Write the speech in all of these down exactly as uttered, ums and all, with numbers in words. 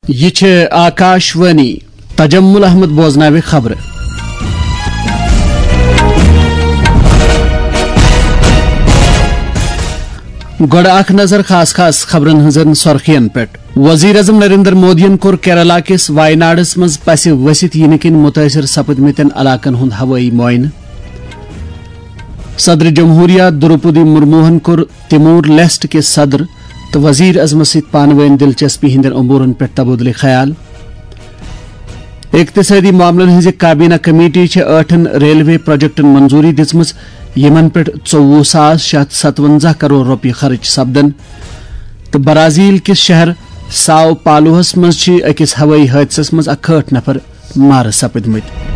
یہِ چھِ آکاش وانی۔ تجمل احمد بوزناوِ خبرٕ۔ گۄڈٕ اکھ نظر خاص خاص خبرن ہٕنٛزن سۄرخین پٮ۪ٹھ۔ وزیر اعظم نریندر مودیَن کوٚر کیرالہ کِس وایناڈس منٛز پسہِ ؤسِتھ یِنہٕ کِنۍ مُتٲثِر سپٕدمٕتٮ۪ن علاقن ہُنٛد ہوٲیی معائنہٕ۔ صدر جمہوریہ دروپدی مرموہن کوٚر تیمور لیسٹ کِس صدر تہٕ وزیر اعظمس سۭتۍ پانہٕ وٲنۍ دلچسپی ہٕنٛدٮ۪ن امورن پٮ۪ٹھ تبادلہٕ خیال۔ اقتصٲدی معاملن ہٕنٛزِ کابینہ کمیٹی چھےٚ ٲٹھن ریلوے پروجیکٹن منظوٗری دِژمٕژ، یِمن پٮ۪ٹھ ژوٚوُہ ساس شےٚ ہتھ ستونزہ کرور رۄپیہِ خرٕچ سپدن۔ تہٕ برازیل کِس شہر ساو پالوہس منٛز چھِ أکِس ہوٲیی حٲدثس منٛز اکہٲٹھ نفر مارٕ سپٕدمٕتۍ۔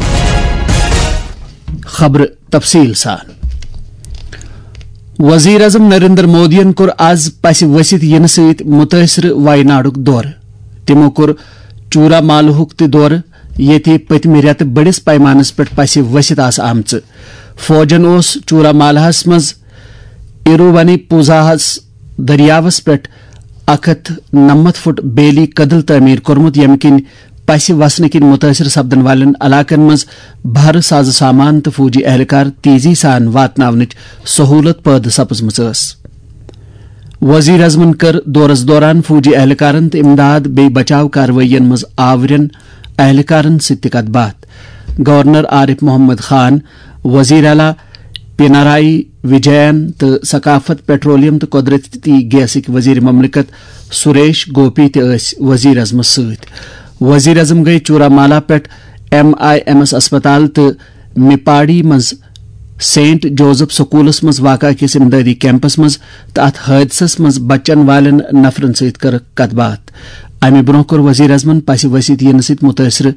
خبرٕ تفصیل سان۔ وزیر اعظم نریندر مودیَن کوٚر از پسہِ ؤسِتھ یِنہٕ سۭتۍ مُتٲثرٕ وایناڈُک دورٕ۔ تِمو کوٚر چورامالہُک تہِ دورٕ، ییٚتہِ پٔتمہِ رٮ۪تہٕ بٔڑِس پیمانس پٮ۪ٹھ پسہِ ؤسِتھ آسہٕ آمژٕ۔ فوجن اوس چورامالہس منٛز ایروونی پوزاہس دٔریاوس پٮ۪ٹھ اکھ ہتھ نَمَتھ فُٹ بیلی کدل تعمیٖر کوٚرمُت، ییٚمہِ کِنۍ پسہِ وسنہٕ کِنۍ مُتٲثِر سپدن والٮ۪ن علاقن منٛز بھرٕ ساز سامان تہٕ فوجی اہلکار تیزی سان واتناونٕچ سہولت پٲدٕ سپٕزمٕژ ٲس۔ وزیر اعظمن کٔر دورس دوران فوجی اہلکارن تہٕ امداد بیٚیہِ بچاو کاروٲیین منٛز آورٮ۪ن اہلکارن سۭتۍ تہِ کتھ باتھ۔ گورنر عارف محمد خان، وزیر اعلیٰ پینارائی وجین تہٕ ثقافت، پیٹرولیم تہٕ قدرتی گیسٕکۍ وزیر مملکت سریش گوپی تہِ ٲسۍ وزیر اعظمس سۭتۍ۔ وزیر اعظم گٔیہِ چورامالا پٮ۪ٹھ ایم آئی ایمس اسپتال تہٕ میپاڑی منٛز سینٹ جوزف سکولس منٛز واقع أکِس امدادی کیمپس منٛز تہٕ اتھ حٲدثس منٛز بچن والٮ۪ن نفرن سۭتۍ کٔرٕکھ کتھ باتھ۔ امہِ برونٛہہ کوٚر وزیر اعظمن پسہِ ؤسِتھ یِنہٕ سۭتۍ مُتٲثرٕ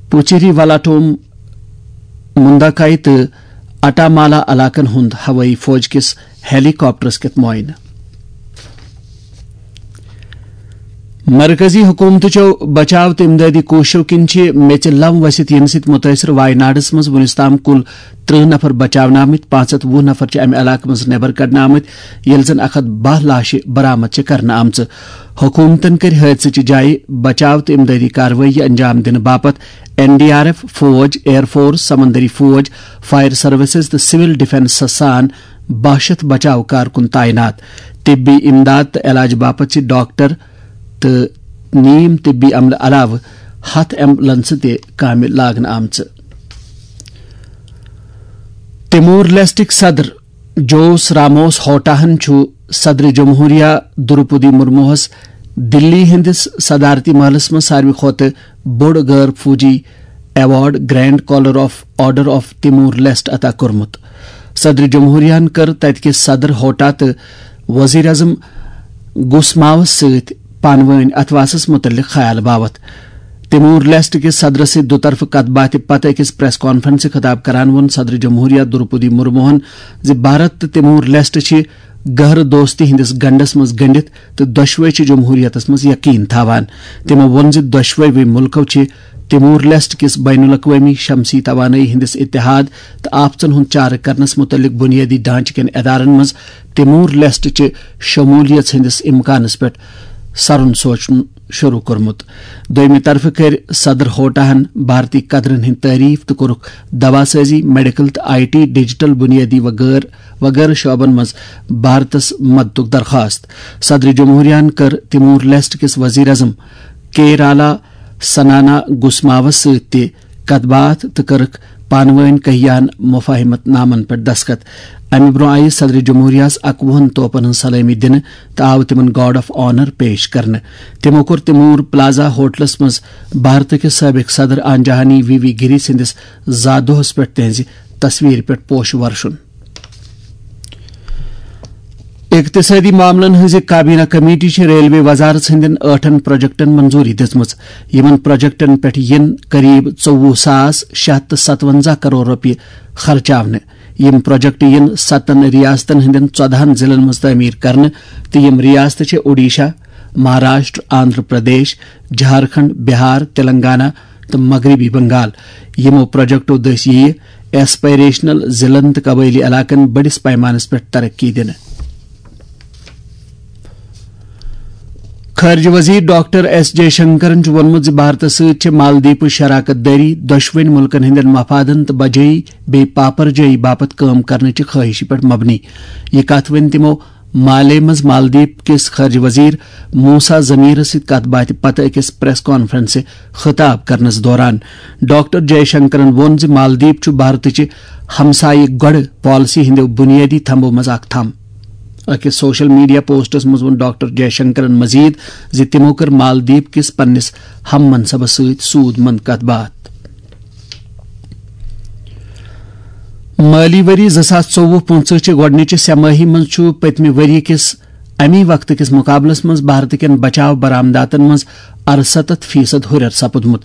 پوچیری والاٹوم، مُنداکائی تہٕ اٹامالا علاقن ہُنٛد ہوٲیی فوج کِس ہیلی کاپٹرس کٮ۪تھ معائنہٕ۔ مرکزی حکومتٕچو بچاو تہٕ امدادی کوٗششو کِنۍ چھِ میٚژِ لم ؤسِتھ یِنہٕ سۭتۍ مُتٲثِر وایناڈس منٛز وُنیُس تام کُل ترٕٛہ نفر بچاونہٕ آمٕتۍ، پانٛژھ ہتھ وُہ نفر چھِ امہِ علاقہٕ منٛز نٮ۪بر کڑنہٕ آمٕتۍ، ییٚلہِ زن اکھ ہتھ باہ لاشہِ برآمد چھِ کرنہٕ آمژٕ۔ حکومتن کٔرۍ حٲدثٕچہِ جایہِ بچاو تہٕ امدادی کاروٲیی انجام دِنہٕ باپتھ این ڈی آر ایف فوج، ایئر فورس، سمندری فوج، فائر سروسز تہٕ سول ڈیفنسس سان باہ شیتھ بچاو کارکُن تعینات۔ طبی امداد تہٕ علاج باپتھ چھِ ڈاکٹر تہٕ نیم طبی عملہٕ علاوٕ ہتھ ایمبولنسہٕ تہِ کامہِ لاگنہٕ آمژٕ۔ تیمور لیسٹٕکۍ صدر جوس راموس ہوٹاہن چھُ صدر جمہوریہ دروپدی مرموہس دِلی ہٕنٛدِس صدارتی محلس منٛز ساروی کھۄتہٕ بوٚڑ غٲر فوجی award grand collar of order of Timor Leste عطا کوٚرمُت۔ صدر جمہوریہن کٔر تتہِ کِس صدر ہوٹا تہٕ وزیر اعظم گسماوس سۭتۍ پانہٕ وٲنۍ اتھواسس متعلق خیال باوتھ۔ تیمور لیسٹ کِس صدرس سۭتۍ دُطرفہٕ کتھ باتھِ پتہٕ أکِس پریس کانفرنسہِ خطاب کران ووٚن صدر جمہوریہ دروپدی مرموہن زِ بھارت تہٕ تیمور لیسٹ چھِ گہرٕ دوستی ہٕنٛدِس گنڈس منٛز گٔنڈِتھ تہٕ دۄشوے چھِ جمہوریتس منٛز یقین تھاوان۔ تِمو ووٚن زِ دۄشوے مُلکو چھِ تیمور لیسٹ کِس بین الاقوٲمی شمسی توانٲیی ہٕنٛدِس اتحاد تہٕ آفژن ہُنٛد چارٕ کرنس مُتعلق بُنیٲدی ڈھانچہٕ کٮ۪ن ادارن منٛز تیمور لیسٹ چہِ شمولیت ہٕنٛدِس امکانس پٮ۪ٹھ سرُن سوچُن شروع کوٚرمُت۔ دوٚیمہِ طرفہٕ کٔرۍ صدر ہوٹاہن بھارتی قدرن ہٕنٛدۍ تعریف تہٕ کوٚرُکھ دوا سازی، میڈیکل تہٕ آئی ٹی، ڈیجیٹل بُنیٲدی وغٲرٕ وغٲرٕ شعبن منٛز بھارتس مددُک درخواست۔ صدر جمہوریہن کٔر تیمور لیسٹ کِس وزیر اعظم کیرالا سنانا گسماوس سۭتۍ تہِ کتھ باتھ تہٕ کٔرٕکھ پانہٕ وٲنۍ کہیان مفاہمت نامن پٮ۪ٹھ دستخط۔ امہِ برونٛہہ آیہِ صدر جمہوریہس اکوُہن توپن ہٕنٛز سلٲمی دِنہٕ تہٕ آو تِمن گارڈ آف آنر پیش کرنہٕ۔ تِمو کوٚر تیمور پلازہ ہوٹلس منٛز بھارتہٕ کِس سٲبق صدر آنجہانی وی وی گِری سٕنٛدِس زا دۄہس پٮ۪ٹھ تِہنٛزِ تصویرِ پٮ۪ٹھ پوشہٕ ورشُن۔ اقتصٲدی معاملن ہٕنٛزِ کابینہ کمیٹی چھِ ریلوے وزارت ہٕنٛدٮ۪ن ٲٹھن پروجیکٹن منظوٗری دِژمٕژ۔ یِمن پروجیکٹن پٮ۪ٹھ یِن قریب ژوٚوُہ ساس شےٚ ہتھ تہٕ ستونزہ کرور رۄپیہِ خرچاونہٕ۔ یِم پروجیکٹ یِن ستن ریاستن ہٕنٛدٮ۪ن ژۄدہن ضلعن منٛز تعمیٖر کرنہٕ تہٕ یِم ریاستہٕ چھِ اوڈیشہ، مہاراشٹر، آندھرا پردیش، جھارکھنڈ، بہار، تلنگانہ، تہٕ مغربی بنگال۔ یِمو پروجیکٹو دٔسۍ یِیہِ ایسپائریشنل ضلعن تہٕ قبٲئلی علاقن بٔڑِس پیمانس پٮ۪ٹھ ترقی دِنہٕ۔ خارجہ وزیر ڈاکٹر ایس جے شنکرن چھُ ووٚنمُت زِ بھارتس سۭتۍ چھِ مالدیپٕچ شراکت دٲری دۄشوٕنی مُلکن ہٕنٛدٮ۪ن مفادن تہٕ بجٲیی بیٚیہِ پاپرجٲیی باپتھ کٲم کرنٕچہِ خٲہشہِ پٮ۪ٹھ مبنی۔ یہِ کتھ ؤنۍ تِمو مالے منٛز مالدیپ کِس خارجہ وزیر موسا ضمیرس سۭتۍ کتھ باتھِ پتہٕ أکِس پریس کانفرنسہِ خطاب کرنس دوران۔ ڈاکٹر جے شنکرن ووٚن زِ مالدیپ چھُ بھارتٕچہِ ہمسایہِ گۄڈٕ پالیسی ہٕنٛدیو بُنیٲدی تھمبو منٛز اکھ تھم۔ أکِس سوشل میڈیا پوسٹس منٛز ووٚن ڈاکٹر جے شنکرن مزید زِ تِمو کٔر مالدیپ کِس پننِس ہم منصبس سۭتۍ سود مند کتھ باتھ۔ مٲلی ؤری زٕ ساس ژوٚوُہ پٕنٛژٕہ چہِ گۄڈٕنِچہِ سہ مٲہی منٛز چھُ پٔتمہِ ؤری کِس اَمی وقتہٕ کِس مُقابلَس منٛز بھارتہٕ کٮ۪ن بچاو برآمداتَن منٛز اَرسَتَتھ فیصد ہُرٮ۪ر سپُدمُت۔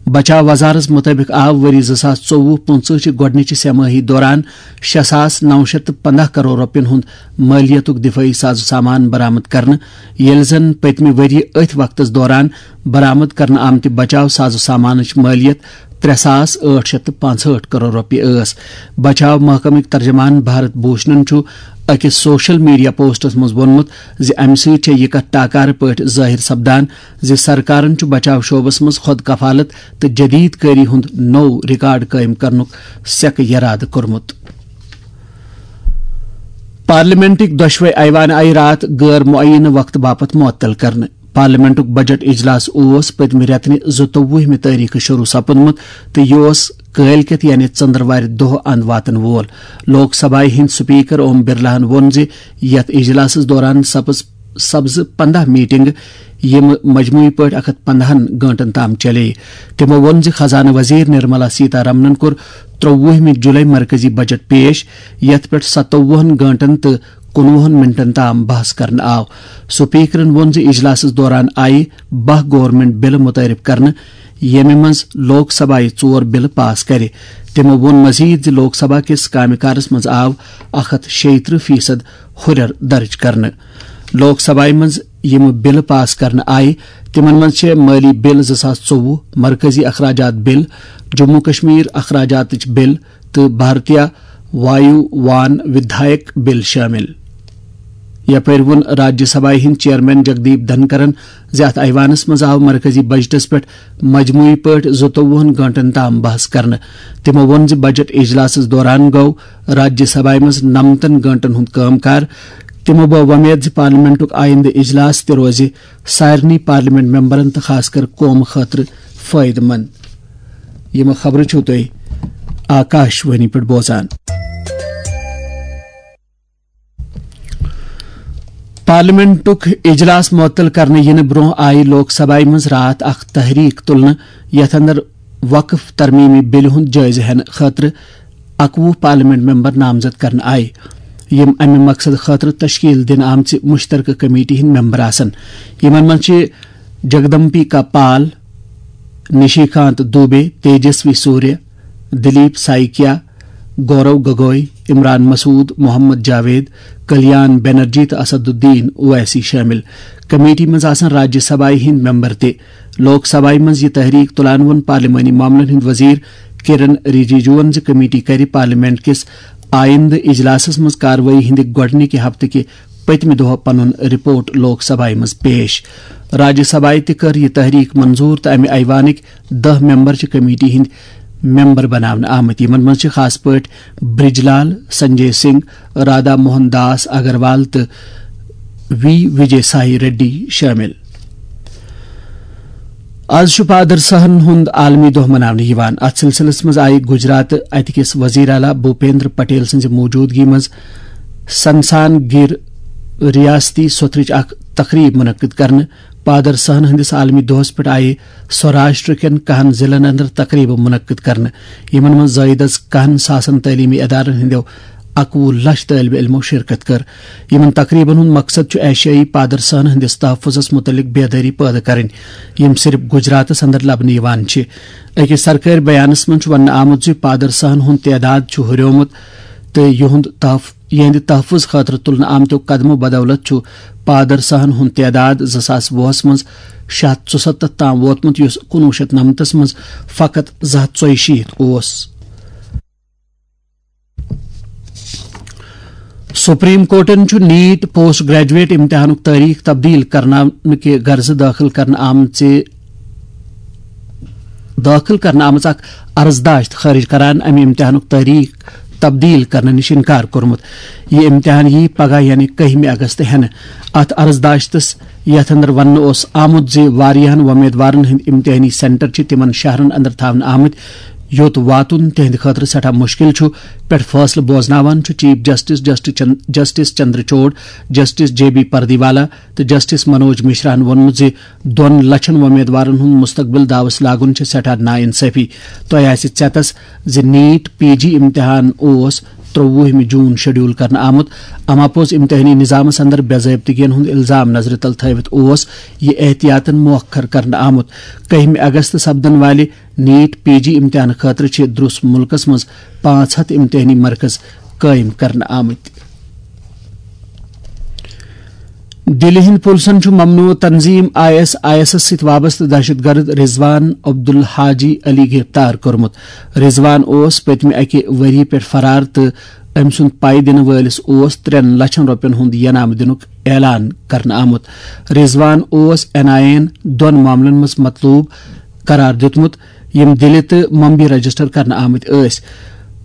بچاو وزارتَس مُطٲبِق آو ؤری زٕ ساس ژوٚوُہ پٕنٛژٕہ چہِ گۄڈٕنِچہِ سہ مٲہی دوران شےٚ ساس نَو شیٚتھ تہٕ پنٛداہ کرور رۄپیَن ہُنٛد مٲلیتُک دِفٲعی ساز و سامان برآمد کرنہٕ، ییٚلہِ زَن پٔتمہِ ؤرۍ یہِ أتھۍ وقتَس دوران برآمد کرنہٕ آمتہِ بچاو ساز و سامانٕچ مٲلیت ترٛےٚ ساس ٲٹھ شیٚتھ تہٕ پانٛژہٲٹھ کرور رۄپیہِ ٲس۔ بچاو محکمٕکۍ ترجمان بھارت بھوشنن چھُ أکِس سوشل میڈیا پوسٹس منٛز ووٚنمُت زِ امہِ سۭتۍ چھےٚ یہِ کتھ ٹاکارٕ پٲٹھۍ ظٲہِر سپدان زِ سرکارن چھُ بچاو شعبس منٛز خۄد کفالت تہٕ جدید کٲری ہُنٛد نوٚو ریکارڈ قٲیِم کرنُک سیکہٕ یرادٕ کوٚرمُت۔ پارلیمنٹٕکۍ دۄشوے ایوان آیہِ راتھ غٲر معینہٕ وقتہٕ باپتھ معطل کرنہٕ۔ پارلیمنٹُک بجٹ اجلاس اوس پٔتمہِ رٮ۪تہٕ زٕتووُہمہِ تٲریخہٕ شروع سپُدمُت تہٕ یہِ اوس کٲلۍ کٮ۪تھ یعنی ژٔنٛدٕروارِ دۄہ اند واتن وول۔ لوک سبھایہ ہٕنٛدۍ سپیکر اوم برلاہن ووٚن زِ یتھ اجلاسس دوران سپز سپزٕ پنداہ میٹنگہٕ، یِم مجموعی پٲٹھۍ اکھ ہتھ پندہن گٲنٹن تام چلے۔ تِمو ووٚن زِ خزانہٕ وزیر نرملا سیتا رمنن کوٚر ترٛووُہمہِ جُلے مرکزی بجٹ پیش، یتھ پٮ۪ٹھ ستووُہن گٲنٹن تہٕ کُنوُہن منٹن تام بحث کرنہٕ آو۔ سپیکرن ووٚن زِ اجلاسس دوران آیہِ باہ گورنمنٹ بلہٕ متعارف کرنہٕ، ییٚمہِ منٛز لوک سبھایہ ژور بلہٕ پاس کرِ۔ تِمو ووٚن مزید زِ لوک سبھا کِس کامہِ کارس منٛز آو اکھ ہتھ شیٚیہِ ترٕٛہ فیصد ہُرٮ۪ر درج کرنہٕ۔ لوک سبھایہ منٛز یِم بلہٕ پاس کرنہٕ آیہِ، تِمن منٛز چھِ مٲلی بل زٕ ساس ژوٚوُہ، مرکزی اخراجات بل، جموں کشمیر اخراجاتٕچ بل، تہٕ بھارتیہ وایو وان ودھایک بل شٲمِل۔ یپٲرۍ ووٚن راجیہ سبھایہ ہٕنٛدۍ چیئرمین جگدیپ دھنکرن زِ اتھ ایوانس منٛز آو مرکزی بجٹس پٮ۪ٹھ مجموعی پٲٹھۍ زٕتووُہن گٲنٹن تام بحث کرنہٕ۔ تِمو ووٚن زِ بجٹ اجلاسس دوران گوٚو راجیہ سبھایہ منٛز نمتن گٲنٹن ہُنٛد کٲم کار۔ تِمو بٲو وۄمید زِ پارلیمنٹُک آیندٕ اجلاس تہِ روزِ سارنٕے پارلیمنٹ ممبرن تہٕ خاص کر قومہٕ خٲطرٕ فٲیدٕ مند۔ یِم خبرٕ چھِو تُہۍ آکاش وانی پٮ۪ٹھ بوزان۔ پارلیمنٹُک اجلاس معطل کرنہٕ یِنہٕ برونٛہہ آیہِ لوک سبھایہ منٛز راتھ اکھ تحریک تُلنہٕ، یتھ اندر وقف ترمیمی بلہِ ہُنٛد جٲیزٕ ہٮ۪نہٕ خٲطرٕ اکوُہ پارلیمنٹ ممبر نامزد کرنہٕ آیہِ۔ یِم امہِ مقصد خٲطرٕ تشکیل دِنہٕ آمژِ مشترکہ کمیٹی ہٕنٛدۍ ممبر آسن۔ یِمن منٛز چھِ جگدمبیکا پال، نشیکانت دوبے، تیجسوی سوریہ، دلیپ سائکیا، گورو گگوئی، عمران مسعود، محمد جاوید، کلیان بنرجی تہٕ اسد الدین اویسی شٲمِل۔ کمیٹی منٛز آسن راجیہ سبھایہ ہٕنٛدۍ ممبر تہِ۔ لوک سبھایہ منٛز یہِ تحریک تُلان ووٚن پارلیمانی معاملن ہٕنٛدۍ وزیر کرن رجیجوَن زِ کمیٹی کرِ پارلیمنٹ کِس آیندٕ اجلاسس منٛز کاروٲیی ہٕنٛدِ گۄڈٕنِکہِ ہفتہٕ کہِ پٔتمہِ دۄہ پنُن رپورٹ لوک سبھایہ منٛز پیش۔ راجیہ سبھایہ تہِ کٔر یہِ تحریک منظور تہٕ امہِ ایوانٕکۍ دَہ ممبر چھِ کمیٹی ہٕنٛدۍ ممبر بناونہٕ آمٕتۍ۔ یِمن منٛز چھِ خاص پٲٹھۍ برج لال، سنجے سنگھ، رادھا موہن داس اگروال تہٕ وی وجے سائی ریڈی شٲمِل۔ آز چھُ پادرسہن ہُنٛد عالمی دۄہ مناونہٕ یِوان۔ اتھ سلسلس منٛز آیہِ گجرات اتہِ کِس وزیر اعلیٰ بھوپیندر پٹیل سٕنٛزِ موجودگی منٛز سنسان گِر ریاستی سوٚتھرٕچ اکھ تقریب منعقد کرنہٕ۔ پادرسہن ہٕنٛدِس عالمی دۄہس پٮ۪ٹھ آیہِ سوراشٹر کٮ۪ن کہن ضلعن اندر تقریبہٕ منعقد کرنہٕ، یِمن منٛز زٲیدس کہن ساسن تعلیمی ادارن ہٕنٛدیو اکوُہ لچھ طٲلبہِ علمو شرکت کٔر۔ یِمن تقریبن ہُنٛد مقصد چھُ ایشیائی پادرسہن ہٕنٛدِس تحفظس مُتعلق بیدٲری پٲدٕ کرٕنۍ، یِم صرف گجراتس اندر لبنہٕ یِوان چھِ۔ أکِس سرکٲرۍ بیانس منٛز چھُ وننہٕ آمُت زِ پادرسہن ہُنٛد تعداد چھُ ہُریومُت تہٕ یِہُنٛد تحف-، یِہنٛدِ تحفظ خٲطرٕ تُلنہٕ آمتیو قدمو بدولت چھُ پادرسہن ہُنٛد تعداد زٕ ساس وُہس منٛز شےٚ ہتھ ژُسَتتھ تام ووتمُت، یُس کُنوُہ شیٚتھ نَمتس منٛز فقط زٕ ہتھ ژۄیہِ شیٖتھ اوس۔ سپریم کورٹن چھُ نیٹ پوسٹ گریجویٹ امتحانُک تٲریخ تبدیل کرناونہٕ کہِ غرضہٕ دٲخل کرنہٕ آمژِ دٲخل کرنہٕ آمٕژ اکھ عرضداشت خٲرج کران امہِ امتحانُک تٲریخ تبدیل کرنہٕ نِش انکار کوٚرمُت۔ یہِ امتحان یِیہِ پگاہ یعنی کٔہمہِ اگست ہٮ۪نہٕ۔ اتھ عرضداشتس، یتھ اندر وننہٕ اوس آمُت زِ واریاہن وۄمیدوارن ہٕنٛدۍ امتحٲنی سینٹر چھِ تِمن شہرن اندر تھاونہٕ آمٕتۍ، یوٚت واتُن تِہنٛدِ خٲطرٕ سٮ۪ٹھاہ مُشکِل چھُ، پٮ۪ٹھ فٲصلہٕ بوزناوان چھُ چیف جسٹس جسٹس چن-، justice Chandrachud, justice J B پردیوالا تہٕ جسٹس منوج مشراہن ووٚنمُت زِ دۄن لچھن وۄمیدوارن ہُنٛد مستقبل داوس لاگُن چھِ سٮ۪ٹھاہ ناانصٲفی۔ تۄہہِ آسہِ ژٮ۪تس زِ نیٹ پی جی امتحان اوس ترٛوُہمہِ جون شیڈول کرنہٕ آمُت۔ اما پوٚز امتحٲنی نظامس اندر بے ضٲبطگین ہُنٛد الزام نظرِ تل تھٲوِتھ اوس یہِ احتیاطن مؤخر کرنہٕ آمُت۔ کٔہمہِ اگست سپدن والہِ نیٹ پی جی امتحان خٲطرٕ چھِ درُس مُلکس منٛز پانٛژھ ہتھ امتحٲنی مرکز قٲیِم کرنہٕ آمٕتۍ۔ دِلہِ ہٕنٛدۍ پُلسن چھُ ممنوع تنظیٖم آئی ایس آئی ایسس سۭتۍ وابستہٕ دہشت گرد رضوان عبدالحاجی علی گرفتار کوٚرمُت۔ رضوان اوس پٔتمہِ اَکہِ ؤری پٮ۪ٹھ فرار تہٕ أمۍ سُنٛد پَے دِنہٕ وٲلِس اوس ترٛٮ۪ن لچھن رۄپین ہُنٛد ینامہٕ دِنُک اعلان کرنہٕ آمُت۔ رضوان اوس این آئی اے یَن دۄن معاملن منٛز مطلوب قرار دیُتمُت، یِم دِلہِ تہٕ ممبئی رجسٹر کرنہٕ آمٕتۍ ٲسۍ۔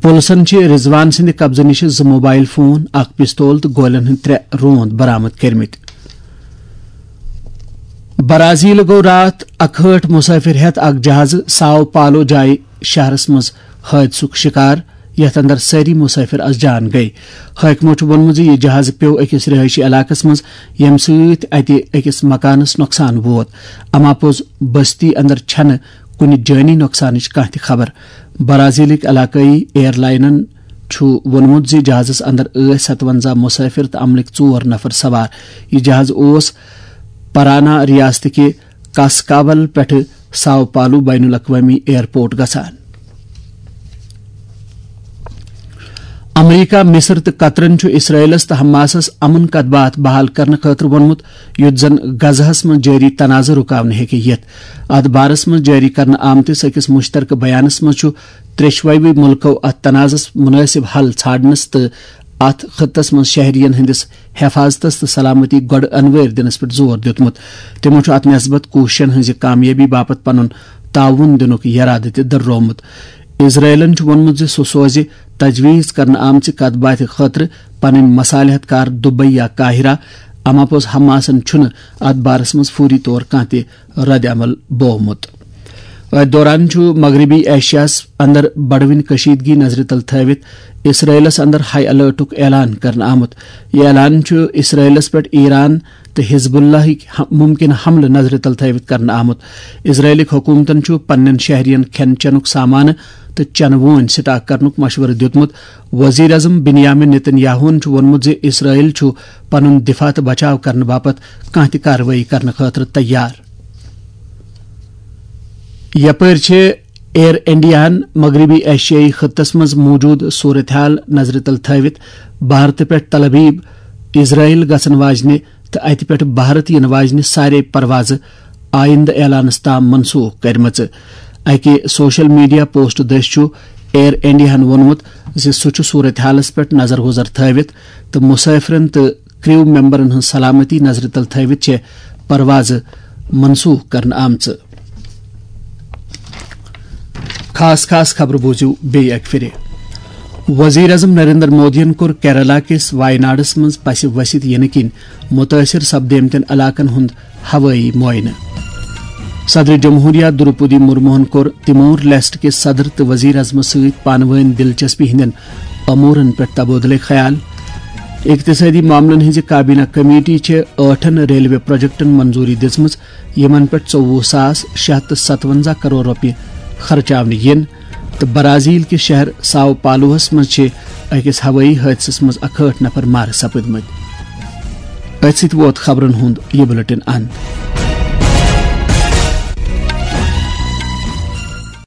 پُلسن چھِ رضوان سٕنٛدِ قبضہٕ نِش زٕ موبائل فون، اکھ پستول تہٕ گولٮ۪ن ہٕنٛدۍ ترٛےٚ روند برآمد کٔرمٕتۍ۔ برازیل گوٚو راتھ اکہٲٹھ مسافر ہٮ۪تھ اکھ جہازٕ ساو پالو جایہِ شہرس منٛز حٲدثُک شکار، یتھ اندر سٲری مسافر از جان گٔیہِ۔ حٲکمو چھُ ووٚنمُت زِ یہِ جہازٕ پیوٚو أکِس رہٲیشی علاقس منٛز، ییٚمہِ سۭتۍ اتہِ أکِس مکانس نۄقصان ووت۔ اما پوٚز بستی اندر چھنہٕ کُنہِ جٲنی نۄقصانٕچ کانٛہہ تہِ خبر۔ برازیلٕکۍ علاقٲیی ایئر لائنن چھُ ووٚنمُت زِ جہازس اندر ٲسۍ ستونزہ مسافر تہٕ عملٕکۍ ژور نفر سوار۔ یہِ جہاز اوس پرانا ریاستٕکہِ کاسکابل پٮ۪ٹھٕ ساو پالو بین الاقوامی ایئرپورٹ گژھان۔ امریکہ، مصر تہٕ قطرن چھُ اسرائیلس تہٕ حماسس امن کتھ باتھ بحال کرنہٕ خٲطرٕ ووٚنمُت، یُتھ زن غزہس منٛز جٲری تنازٕ رُکاونہٕ ہیٚکہِ یِتھ۔ اتھ بارس منٛز جٲری کرنہٕ آمتِس أکِس مشترکہٕ بیانس منٛز چھُ ترٛیٚشوَے مُلکو اتھ تنازس مناسب حل ژھانڈنس تہٕ اتھ خطس منٛز شہرین ہٕنٛدِس حفاظتس تہٕ سلامتی گۄڈٕ انوٲرۍ دِنس پٮ۪ٹھ زور دیُتمُت۔ تِمو چھُ اتھ نسبت کوٗششن ہٕنٛزِ کامیٲبی باپتھ پنُن تعاوُن دِنُک یرادٕ تہِ دٔررومُت۔ اسرائیلن چھُ ووٚنمُت زِ سُہ سوزِ تجویز کرنہٕ آمژِ کتھ باتھِ خٲطرٕ پنٕنۍ مصالحت کار دبئی یا قاہرہ، اما پوٚز حماسن چھُنہٕ اتھ بارس منٛز فوری طور کانٛہہ تہِ رد عمل بوومُت۔ أتھۍ دوران چھُ مغربی ایشیاہس اندر بڑوٕنۍ کشیدگی نظرِ تل تھٲوِتھ اسرائیلس اندر ہائی الرٹُک اعلان کرنہٕ آمُت۔ یہِ اعلان چھُ اسرائیلس پٮ۪ٹھ ایران تہٕ حزب اللہٕکۍ ہ-، ممکنہٕ حملہٕ نظرِ تل تھٲوِتھ کرنہٕ آمُت۔ اسرائیلٕکۍ حکومتن چھُ پننٮ۪ن شہرین کھٮ۪ن چٮ۪نُک سامان تہٕ چنہٕ وونۍ سٹاک کرنُک مشورٕ دیُتمُت۔ وزیر اعظم بنیامین نتن یاہوہن چھُ ووٚنمُت زِ اسرائیل چھُ پنُن دفاع تہٕ بچاو کرنہٕ باپتھ کانٛہہ تہِ کاروٲیی کرنہٕ خٲطرٕ تیار۔ یپٲرۍ چھِ ایئر انڈیاہن مغربی ایشیائی خطس منٛز موجود صورتحال نظرِ تل تھٲوِتھ بھارتہٕ پٮ۪ٹھ تل ابیب، اسرائیل گژھن واجنہِ تہٕ اتہِ پٮ۪ٹھ بھارت یِنہٕ واجنہِ سارے پروازٕ آیندٕ اعلانس تام منسوخ کرِمژٕ۔ اکہِ سوشل میڈیا پوسٹ دٔسۍ چھُ ایئر انڈیاہن ووٚنمُت زِ سُہ چھُ صورتحالس پٮ۪ٹھ نظر گزر تھٲوِتھ تہٕ مسافرن تہٕ کرو ممبرن ہٕنٛز سلامتی نظرِ تل تھٲوِتھ چھِ پروازٕ منسوخ کرنہٕ آمژٕ۔ خاص خاص خبرٕ بوٗزِو بیٚیہِ اکہِ پھِرِ۔ وزیر اعظم نریندر مودیَن کوٚر کیرالہ کِس وایناڈس منٛز پسہِ ؤسِتھ یِنہٕ کِنۍ مُتٲثِر سپدیمتٮ۪ن علاقن ہُنٛد ہوٲیی معائنہٕ۔ صدر جمہوریہ دروپدی مرموہن کوٚر تمور لیسٹ کِس صدر تہٕ وزیر اعظمس سۭتۍ پانہٕ وٲنۍ دلچسپی ہٕنٛدٮ۪ن امورن پٮ۪ٹھ تبادلہٕ خیال۔ اقتصٲدی معاملن ہٕنٛزِ کابینہ کمیٹی چھِ ٲٹھن ریلوے پروجیکٹن منظوری دِژمٕژ، یِمن پٮ۪ٹھ ژوٚوُہ ساس شےٚ ہتھ تہٕ ستونزہ کرور رۄپیہِ خرچاونہٕ یِن، تہٕ برازیل کِس شہر ساو پالوہس منٛز چھِ أکِس ہوٲیی حٲدثس منٛز اکہٲٹھ نفر مارٕ سپٕدمٕتۍ۔ أتھۍ سۭتۍ ووت خبرن ہُنٛد یہِ بُلٹن اند۔